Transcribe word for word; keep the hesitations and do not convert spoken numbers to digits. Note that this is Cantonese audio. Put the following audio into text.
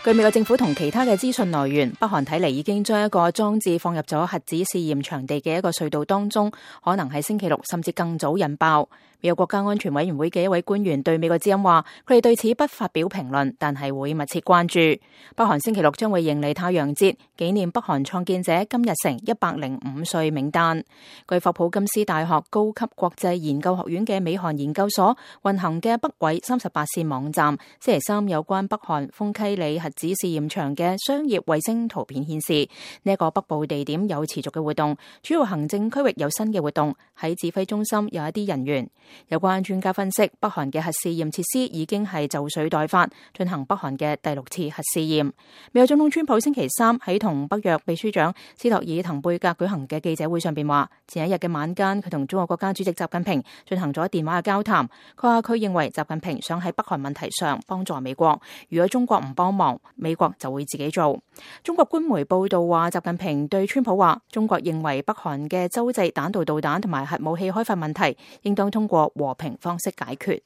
據美國政府同其他嘅資訊來源，北韓睇嚟已經將一個裝置放入咗核子試驗場地嘅一個隧道當中，可能喺星期六甚至更早引爆。美國國家安全委員會嘅一位官員對美國之音話，佢哋對此不發表評論，但係會密切關注。北韓星期六將會迎嚟太陽節，紀念北韓創建者金日成一百零五歲冥誕。據霍普金斯大學高級國際研究學院嘅美韓研究所運行嘅北緯三十八線網站，星期三有關北韓豐溪里核子試驗場嘅商業衛星圖片顯示，呢一個北部地點有持續嘅活動，主要行政區域有新嘅活動，喺指揮中心有一啲人員。有關專家分析，北韓嘅核試驗設施已經係就緒待發，進行北韓嘅第六次核試驗。美國總統川普星期三喺同北約秘書長斯托爾滕貝格舉行嘅記者會上邊話，前一日嘅晚間佢同中國國家主席習近平進行咗電話嘅交談。佢話佢認為習近平想喺北韓問題上幫助美國，如果中國唔幫忙，美國就會自己做。中國官媒報道話，習近平對川普話，中國認為北韓嘅洲際彈道導彈同埋核武器開發問題應當通過和平方式解決。